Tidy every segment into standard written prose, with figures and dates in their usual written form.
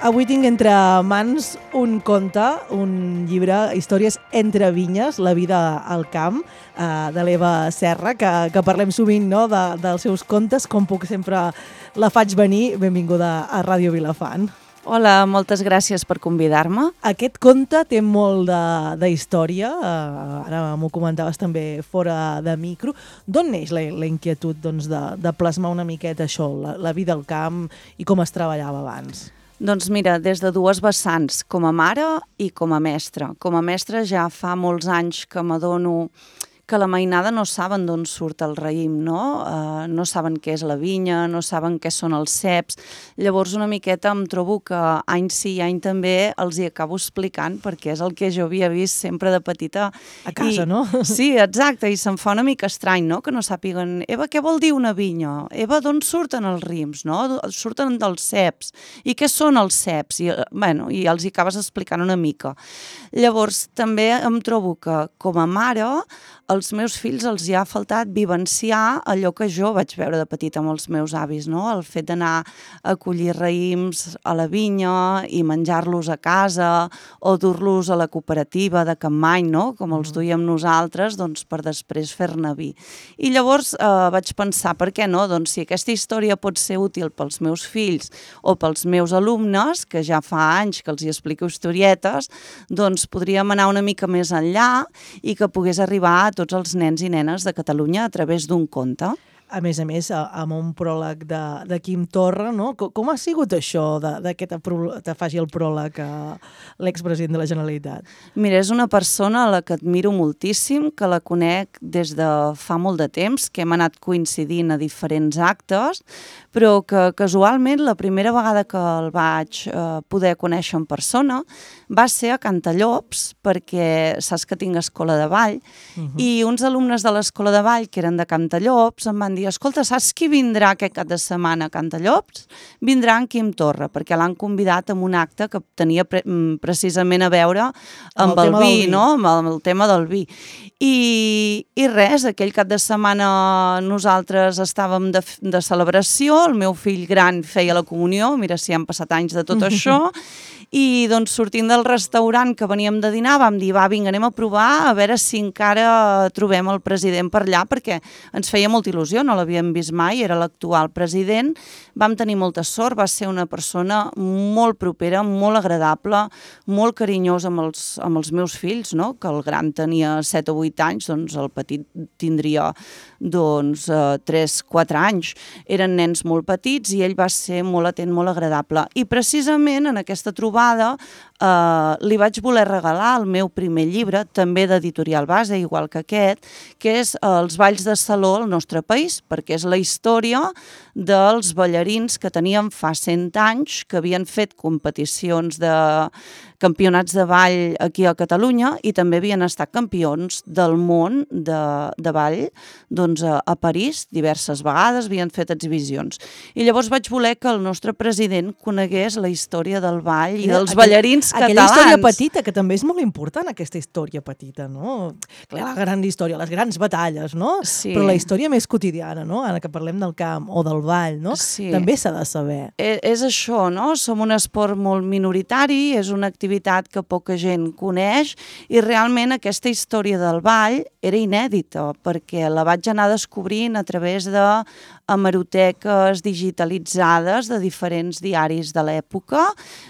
Avui tinc entre mans un conte, un llibre, històries entre vinyes, la vida al camp, de l'Eva Serra, que parlem sovint, no?, dels seus contes. Com puc, sempre la faig venir. Benvinguda a Ràdio Vilafant. Hola, moltes gràcies per convidar-me. Aquest conte té molt de història, ara m'ho comentaves també fora de micro. D'on neix la inquietud de plasmar una miqueta això, la vida al camp i com es treballava abans? Doncs mira, des de dues vessants, com a mare i com a mestra. Com a mestra ja fa molts anys que m'adono que la mainada no saben d'on surt el raïm, no? No saben què és la vinya, no saben què són els ceps. Llavors una miqueta em trobo que any sí i any també els hi acabo explicant, perquè és el que jo havia vist sempre de petita. A casa, no? Sí, exacte, i se'm fa una mica estrany, no?, que no sàpiguen, Eva, què vol dir una vinya? Eva, d'on surten els rims, no? Surten dels ceps. I què són els ceps? I els hi acabes explicant una mica. Llavors també em trobo que com a mare als meus fills els hi ha faltat vivenciar allò que jo vaig veure de petita amb els meus avis, no? El fet d'anar a collir raïms a la vinya i menjar-los a casa o dur-los a la cooperativa de Capmany, no?, com els duíem nosaltres, doncs per després fer-ne vi. I llavors vaig pensar, per què no? Doncs si aquesta història pot ser útil pels meus fills o pels meus alumnes, que ja fa anys que els hi explico historietes, doncs podríem anar una mica més enllà i que pogués arribar a tots els nens i nenes de Catalunya a través d'un conte. A més, amb un pròleg de Quim Torra, no? Com ha sigut això que te faci el pròleg l'expresident de la Generalitat? Mira, és una persona a la que admiro moltíssim, que la conec des de fa molt de temps, que hem anat coincidint a diferents actes, però que casualment la primera vegada que el vaig poder conèixer en persona va ser a Cantallops, perquè saps que tinc escola de ball, i uns alumnes de l'escola de ball, que eren de Cantallops, em van dir, escolta, saps qui vindrà aquest cap de setmana a Cantallops? Vindrà en Quim Torra, perquè l'han convidat a un acte que tenia precisament a veure amb el vi, no?, amb el tema del vi. I res, aquell cap de setmana nosaltres estàvem de celebració, el meu fill gran feia la comunió, mira si han passat anys de tot això, i doncs sortint del restaurant que veníem de dinar vam dir, va, vinga, anem a provar a veure si encara trobem el president per allà, perquè ens feia molta il·lusió, no l'havíem vist mai, era l'actual president, vam tenir molta sort, va ser una persona molt propera, molt agradable, molt carinyosa amb els meus fills, no?, que el gran tenia 7 o 8 anys, doncs el petit tindria 3-4 anys. Eren nens molt petits i ell va ser molt atent, molt agradable. I precisament en aquesta trobada li vaig voler regalar el meu primer llibre, també d'Editorial Base, igual que aquest, que és Els balls de saló al nostre país, perquè és la història dels ballarins que teníem fa 100 anys, que havien fet competicions de campionats de ball aquí a Catalunya i també havien estat campions del món de ball a París diverses vegades, havien fet exhibicions. I llavors vaig voler que el nostre president conegués la història del ball i dels ballarins catalans. Aquella història petita, que també és molt important, aquesta història petita, no? Clar, la gran història, les grans batalles, no? Sí. Però la història més quotidiana, no?, ara que parlem del camp o del ball, no? Sí. També s'ha de saber. És això, no? Som un esport molt minoritari, és una activitat que poca gent coneix i realment aquesta història del ball era inèdita perquè la vaig anar descobrint a través de hemeroteques digitalitzades de diferents diaris de l'època,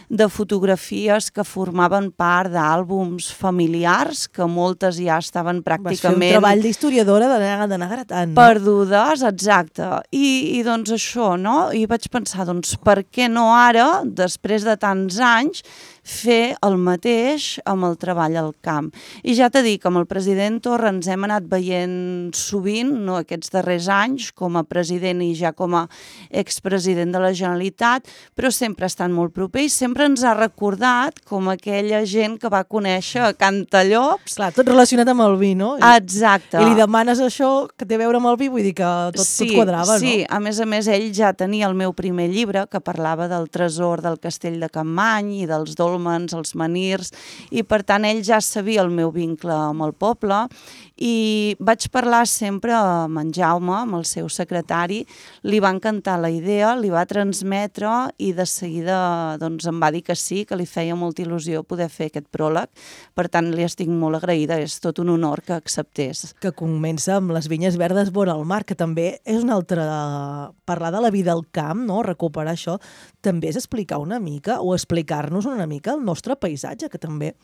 de fotografies que formaven part d'àlbums familiars que moltes ja estaven pràcticament... Vas fer un treball d'historiadora d'anar gratant, no? Perdudes, exacte. I doncs això, no? I vaig pensar, doncs per què no ara, després de tants anys, fer el mateix amb el treball al camp. I ja t'he dit que amb el president Torra ens hem anat veient sovint, no, aquests darrers anys, com a president i ja com a expresident de la Generalitat, però sempre estan molt proper i sempre ens ha recordat com aquella gent que va conèixer a Cantallops. Clar, tot relacionat amb el vi, no? Exacte. I li demanes això que té a veure amb el vi, vull dir que tot quadrava, no? Sí, a més, ell ja tenia el meu primer llibre que parlava del tresor del castell de Capmany i dels dòlmens, els menirs, i per tant ell ja sabia el meu vincle amb el poble I vaig parlar sempre amb en Jaume, amb el seu secretari, li va encantar la idea, li va transmetre i de seguida doncs, em va dir que sí, que li feia molta il·lusió poder fer aquest pròleg. Per tant, li estic molt agraïda, és tot un honor que acceptés. Que comença amb les vinyes verdes vora el mar, que també és una altra... Parlar de la vida al camp, no? Recuperar això, també és explicar una mica o explicar-nos una mica el nostre paisatge, que també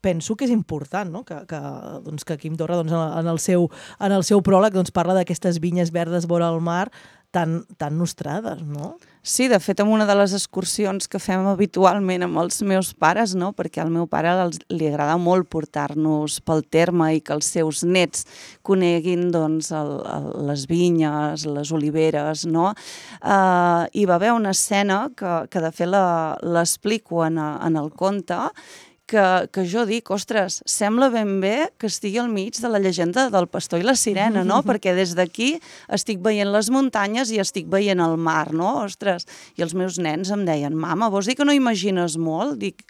penso que és important, no? Doncs, que Quim Torra doncs, en el seu pròleg doncs, parla d'aquestes vinyes verdes vora el mar tan nostrades, no? Sí, de fet, en una de les excursions que fem habitualment amb els meus pares, no? Perquè al meu pare li agrada molt portar-nos pel terme i que els seus nets coneguin doncs, les vinyes, les oliveres, no? Hi va haver una escena que de fet l'explico en el conte, que jo dic, ostres, sembla ben bé que estigui al mig de la llegenda del pastor i la sirena, no? Perquè des d'aquí estic veient les muntanyes i estic veient el mar, no? Ostres, i els meus nens em deien, mama, vols dir que no imagines molt? Dic,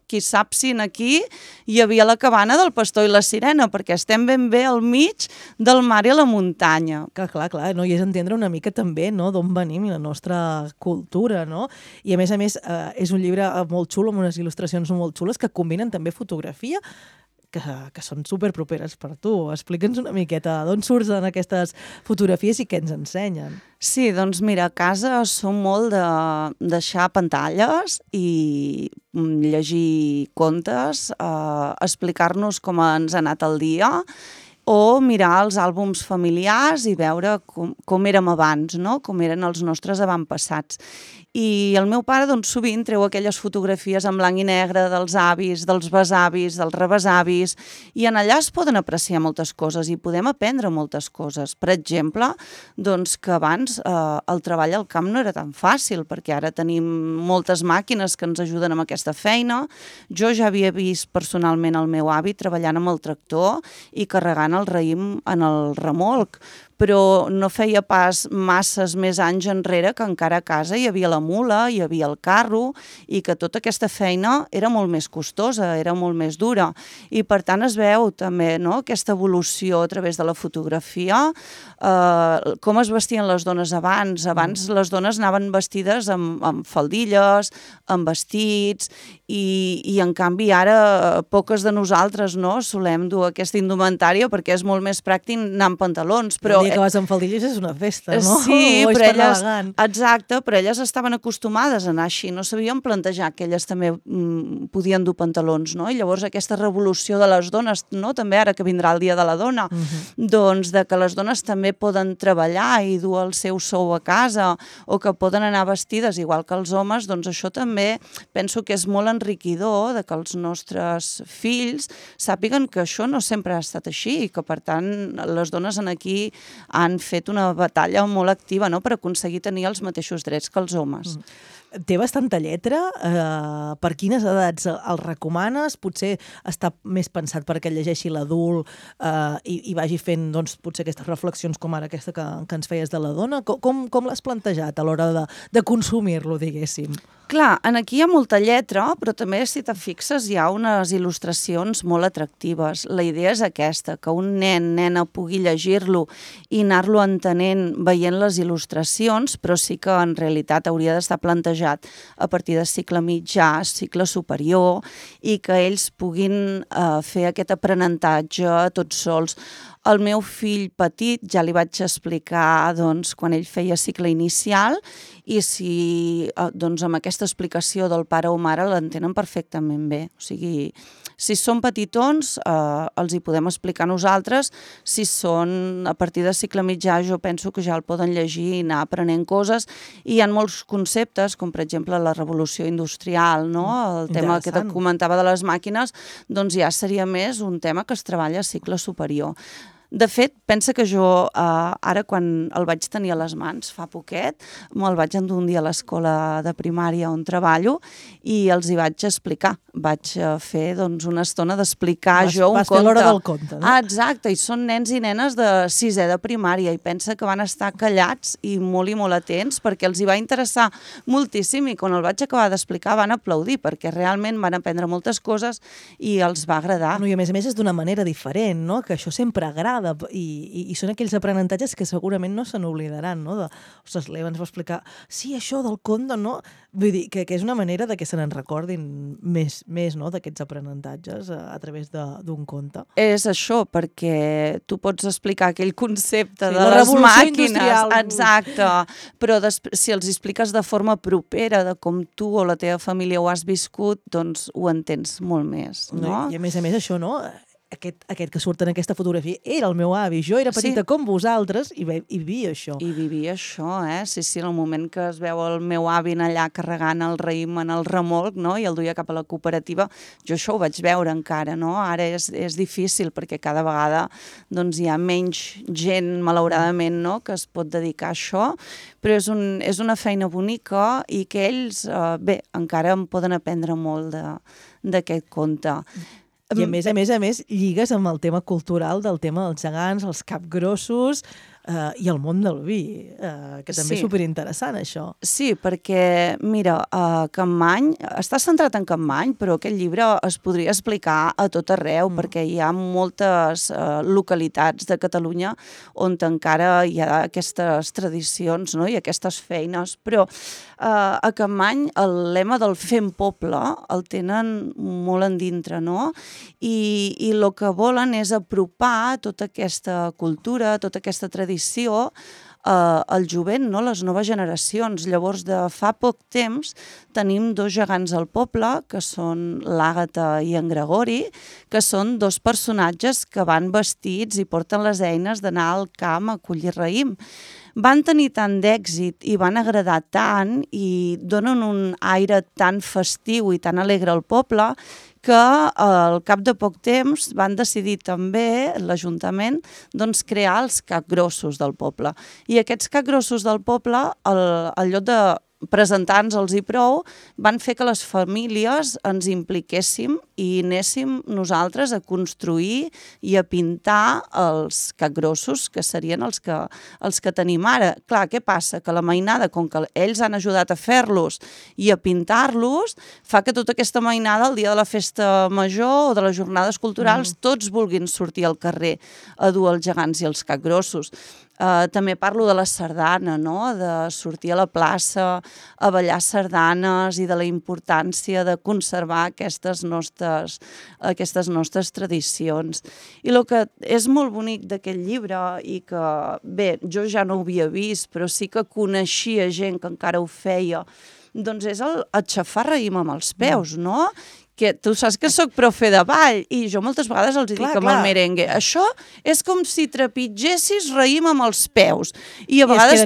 qui sap si aquí hi havia la cabana del pastor i la sirena, perquè estem ben bé al mig del mar i la muntanya. Clar, no? I és entendre una mica també, no?, d'on venim i la nostra cultura, no? I a més, és un llibre molt xulo, amb unes il·lustracions molt xules que combinen també fotografia, que són superproperes per tu. Explica'ns una miqueta d'on surten aquestes fotografies i què ens ensenyen. Sí, doncs mira, a casa som molt de deixar pantalles i llegir contes, explicar-nos com ens ha anat el dia o mirar els àlbums familiars i veure com érem abans, no? Com eren els nostres avantpassats. I el meu pare doncs, sovint treu aquelles fotografies en blanc i negre dels avis, dels besavis, dels rebesavis, i en allà es poden apreciar moltes coses i podem aprendre moltes coses. Per exemple, doncs, que abans el treball al camp no era tan fàcil, perquè ara tenim moltes màquines que ens ajuden amb aquesta feina. Jo ja havia vist personalment el meu avi treballant amb el tractor i carregant el raïm en el remolc, però no feia pas masses més anys enrere que encara a casa hi havia la mula, hi havia el carro i que tota aquesta feina era molt més costosa, era molt més dura. I per tant es veu també, no?, aquesta evolució a través de la fotografia, com es vestien les dones abans. Abans les dones anaven vestides amb faldilles, amb vestits i en canvi ara poques de nosaltres, no?, solem dur aquesta indumentària perquè és molt més pràctic anar amb pantalons, però el dia que vas amb faldilles és una festa, no? Sí, però elles, exacte, però elles estaven acostumades a anar així, no sabien plantejar que elles també podien dur pantalons, no? I llavors aquesta revolució de les dones, no?, també ara que vindrà el dia de la dona, doncs de que les dones també poden treballar i dur el seu sou a casa o que poden anar vestides igual que els homes, doncs això també penso que és molt enriquidor de que els nostres fills sàpiguen que això no sempre ha estat així i que per tant les dones aquí han fet una batalla molt activa, no?, per aconseguir tenir els mateixos drets que els homes. Té bastanta lletra. Per quines edats el recomanes? Potser està més pensat perquè llegeixi l'adult i vagi fent, doncs, potser aquestes reflexions com ara aquesta que ens feies de la dona? Com l'has plantejat a l'hora de consumir-lo, diguéssim? Clar, aquí hi ha molta lletra, però també, si te fixes, hi ha unes il·lustracions molt atractives. La idea és aquesta, que un nena pugui llegir-lo i anar-lo entenent veient les il·lustracions, però sí que en realitat hauria d'estar plantejat a partir de cicle mitjà, cicle superior, i que ells puguin fer aquest aprenentatge tots sols. El meu fill petit ja li vaig explicar doncs, quan ell feia cicle inicial i si doncs, amb aquesta explicació del pare o mare l'entenen perfectament bé. O sigui, si són petitons els hi podem explicar nosaltres, si són a partir de cicle mitjà jo penso que ja el poden llegir i anar aprenent coses i hi ha molts conceptes, com per exemple la revolució industrial, no? El tema que et comentava de les màquines, doncs ja seria més un tema que es treballa a cicle superior. De fet, pensa que jo ara quan el vaig tenir a les mans fa poquet, me'l vaig endur un dia a l'escola de primària on treballo i els hi vaig explicar. Vaig fer una estona d'explicar jo un conte. Vas fer l'hora del conte, no? Exacte, i són nens i nenes de 6è de primària i pensa que van estar callats i molt atents perquè els hi va interessar moltíssim i quan el vaig acabar d'explicar van aplaudir perquè realment van aprendre moltes coses i els va agradar. No, i a més és d'una manera diferent, no? Que això sempre agrada i són aquells aprenentatges que segurament no se n'oblidaran, no? Ostres, l'Eva ens va explicar, sí, això del conte, no? Vull dir, que és una manera de que se n'en recordin més no? D'aquests aprenentatges a través d'un conte. És això, perquè tu pots explicar aquell concepte de les màquines, industrial. Exacte, però si els expliques de forma propera de com tu o la teva família ho has viscut, doncs ho entens molt més, no? I a més això, no? Aquest que surt en aquesta fotografia era el meu avi, jo era petita com vosaltres i vivia això. I vivia això, Sí, en el moment que es veu el meu avi allà carregant el raïm en el remolc, no? I el duia cap a la cooperativa, jo això ho vaig veure encara, no? Ara és difícil perquè cada vegada doncs, hi ha menys gent, malauradament, no? Que es pot dedicar a això, però és una feina bonica i que ells, encara en poden aprendre molt d'aquest conte. I a més, lligues amb el tema cultural del tema dels gegants, els capgrossos i el món del vi, que també és superinteressant, això. Sí, perquè, mira, Capmany, està centrat en Capmany, però aquest llibre es podria explicar a tot arreu, perquè hi ha moltes localitats de Catalunya on encara hi ha aquestes tradicions, no? I aquestes feines, però a Capmany el lema del fem poble el tenen molt endintre, no? I el que volen és apropar tota aquesta cultura, tota aquesta tradició al jovent, no? Les noves generacions. Llavors, de fa poc temps, tenim 2 gegants al poble, que són l'Àgata i en Gregori, que són 2 personatges que van vestits i porten les eines d'anar al camp a collir raïm. Van tenir tant d'èxit i van agradar tant i donen un aire tan festiu i tan alegre al poble que al cap de poc temps van decidir també, l'Ajuntament, doncs crear els capgrossos del poble. I aquests capgrossos del poble, al lloc de presentar-nos-els i prou, van fer que les famílies ens impliquéssim i anéssim nosaltres a construir i a pintar els capgrossos, que serien els que tenim ara. Clar, què passa? Que la mainada, com que ells han ajudat a fer-los i a pintar-los, fa que tota aquesta mainada, el dia de la festa major o de les jornades culturals, tots vulguin sortir al carrer a dur els gegants i els capgrossos. També parlo de la sardana, no? De sortir a la plaça a ballar sardanes i de la importància de conservar aquestes nostres tradicions. I el que és molt bonic d'aquest llibre i que, bé, jo ja no ho havia vist, però sí que coneixia gent que encara ho feia, doncs és el aixafar raïm amb els peus, no? Que tu saps que sóc profe de ball i jo moltes vegades els dic amb el merengue, això és com si trepitgessis raïm amb els peus. I a vegades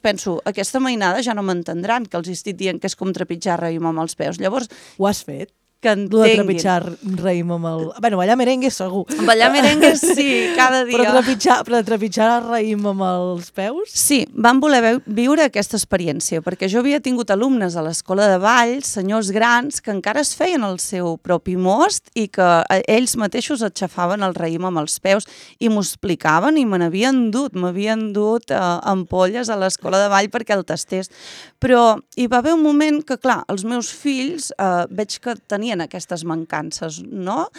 penso, aquesta mainada ja no m'entendran que els estic dient que és com trepitjar raïm amb els peus. Llavors, ho has fet? Que entenguin. De trepitjar raïm amb el... Bueno, ballar merengue segur. Ballar merengue sí, cada dia. Però trepitjar raïm amb els peus? Sí, van voler viure aquesta experiència, perquè jo havia tingut alumnes a l'escola de ball, senyors grans, que encara es feien el seu propi most i que ells mateixos aixafaven el raïm amb els peus i m'ho explicaven i m'havien dut ampolles a l'escola de ball perquè el tastés. Però hi va haver un moment que, clar, els meus fills veig que tenien aquestes mancances, no?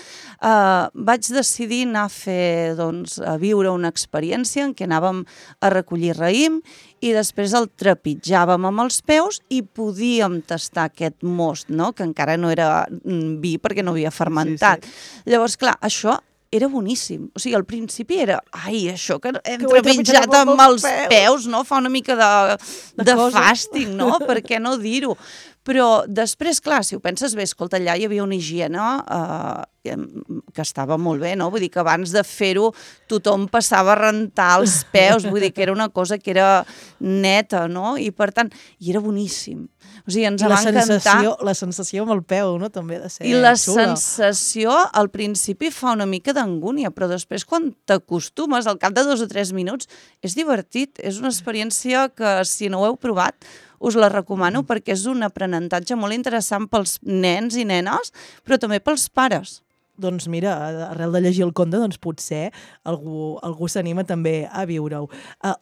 Vaig decidir anar a viure una experiència en què anàvem a recollir raïm i després el trepitjàvem amb els peus i podíem tastar aquest most, no? Que encara no era vi perquè no havia fermentat. Llavors, clar, això era boníssim. O sigui, al principi era, això que hem trepitjat amb els peus, no? Fa una mica de fàstic, no? Per què no dir-ho? Però després, clar, si ho penses bé, escolta, allà hi havia una higiene que estava molt bé, no? Vull dir que abans de fer-ho tothom passava a rentar els peus, vull dir que era una cosa que era neta, no? I per tant, i era boníssim. O sigui, ens va encantar. La sensació amb el peu, no?, també ha de ser I la xula. sensació, al principi fa una mica d'angúnia, però després quan t'acostumes, al cap de 2 o 3 minuts, és divertit, és una experiència que si no ho heu provat, us la recomano perquè és un aprenentatge molt interessant pels nens i nenes, però també pels pares. Doncs mira, arrel de llegir el conte, doncs potser algú s'anima també a viure-ho.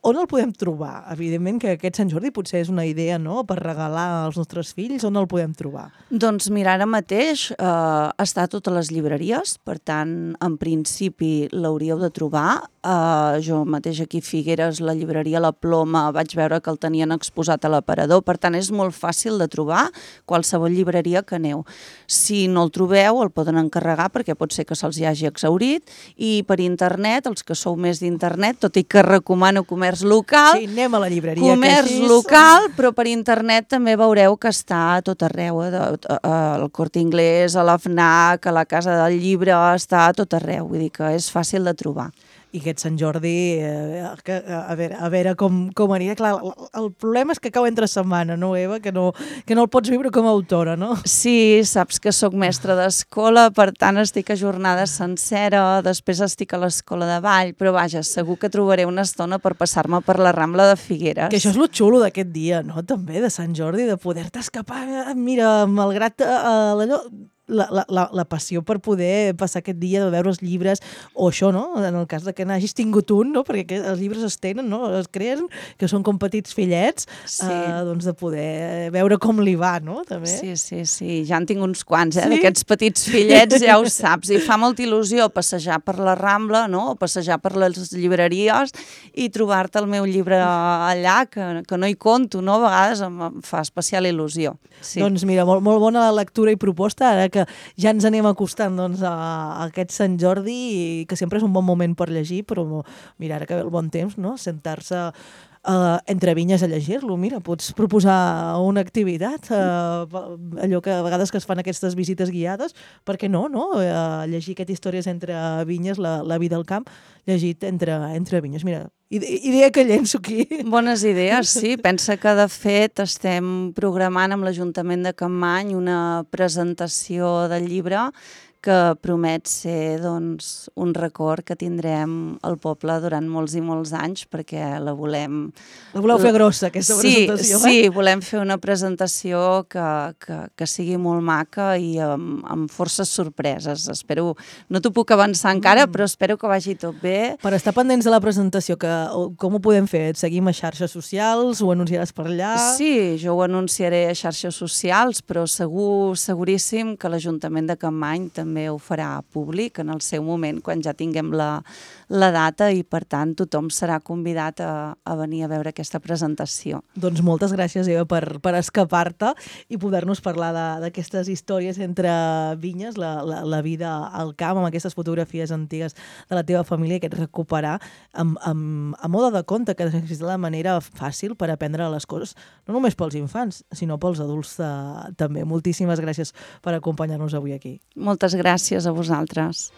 On el podem trobar? Evidentment que aquest Sant Jordi potser és una idea, no?, per regalar als nostres fills. On el podem trobar? Doncs mira, ara mateix està a totes les llibreries, per tant, en principi l'hauríeu de trobar. Jo mateix aquí a Figueres, la llibreria La Ploma, vaig veure que el tenien exposat a l'aparador, per tant, és molt fàcil de trobar qualsevol llibreria que aneu. Si no el trobeu, el poden encarregar perquè pot ser que se'ls hi hagi exhaurit, i per internet, els que sou més d'internet, tot i que recomano comerç local, sí, anem a la llibreria, comerç local, però per internet també veureu que està a tot arreu, al Corte Inglés, a la FNAC, a la Casa del Llibre, està a tot arreu, vull dir que és fàcil de trobar. I aquest Sant Jordi, a veure com anirà. Clar, el problema és que cau entre setmana, no, Eva? Que no el pots viure com a autora, no? Sí, saps que sóc mestra d'escola, per tant estic a jornada sencera, després estic a l'escola de ball, però vaja, segur que trobaré una estona per passar-me per la Rambla de Figueres. Que això és lo xulo d'aquest dia, no?, també, de Sant Jordi, de poder-te escapar, mira, malgrat allò... La passió per poder passar aquest dia de veure els llibres, o això, no?, en el cas de que n'hagis tingut un, no?, perquè els llibres es tenen, no?, es creen, que són com petits fillets, sí. Doncs de poder veure com li va, no?, també. Sí, ja en tinc uns quants, sí? D'aquests petits fillets, ja ho saps, i fa molta il·lusió passejar per la Rambla, no?, o passejar per les llibreries i trobar-te el meu llibre allà, que no hi conto, no?, a vegades em fa especial il·lusió. Sí. Doncs mira, molt bona la lectura i proposta, ara que ja ens anem acostant doncs, a aquest Sant Jordi, i que sempre és un bon moment per llegir, però mira, ara que ve el bon temps, no?, sentar-se entre vinyes a llegir-lo. Mira, pots proposar una activitat, allò que a vegades que es fan aquestes visites guiades, per què no? Llegir aquestes històries entre vinyes, la vida al camp, llegit entre vinyes. Mira, idea que llenço aquí. Bones idees, sí. Pensa que, de fet, estem programant amb l'Ajuntament de Capmany una presentació del llibre que promet ser, doncs, un record que tindrem al poble durant molts i molts anys, perquè la volem... La voleu fer grossa, aquesta presentació, Sí, volem fer una presentació que sigui molt maca i amb forces sorpreses. Espero, no t'ho puc avançar encara, però espero que vagi tot bé. Per estar pendents de la presentació, com ho podem fer? Et seguim a xarxes socials? Ho anunciaràs per allà? Sí, jo ho anunciaré a xarxes socials, però seguríssim que l'Ajuntament de Capmany també ho farà públic en el seu moment, quan ja tinguem la data, i per tant tothom serà convidat a venir a veure aquesta presentació. Doncs moltes gràcies, Eva, per escapar-te i poder-nos parlar d'aquestes històries entre vinyes, la vida al camp, amb aquestes fotografies antigues de la teva família, que et recuperar a mode de conte, que és la manera fàcil per aprendre les coses, no només pels infants, sinó pels adults també. Moltíssimes gràcies per acompanyar-nos avui aquí. Moltes gràcies a vosaltres.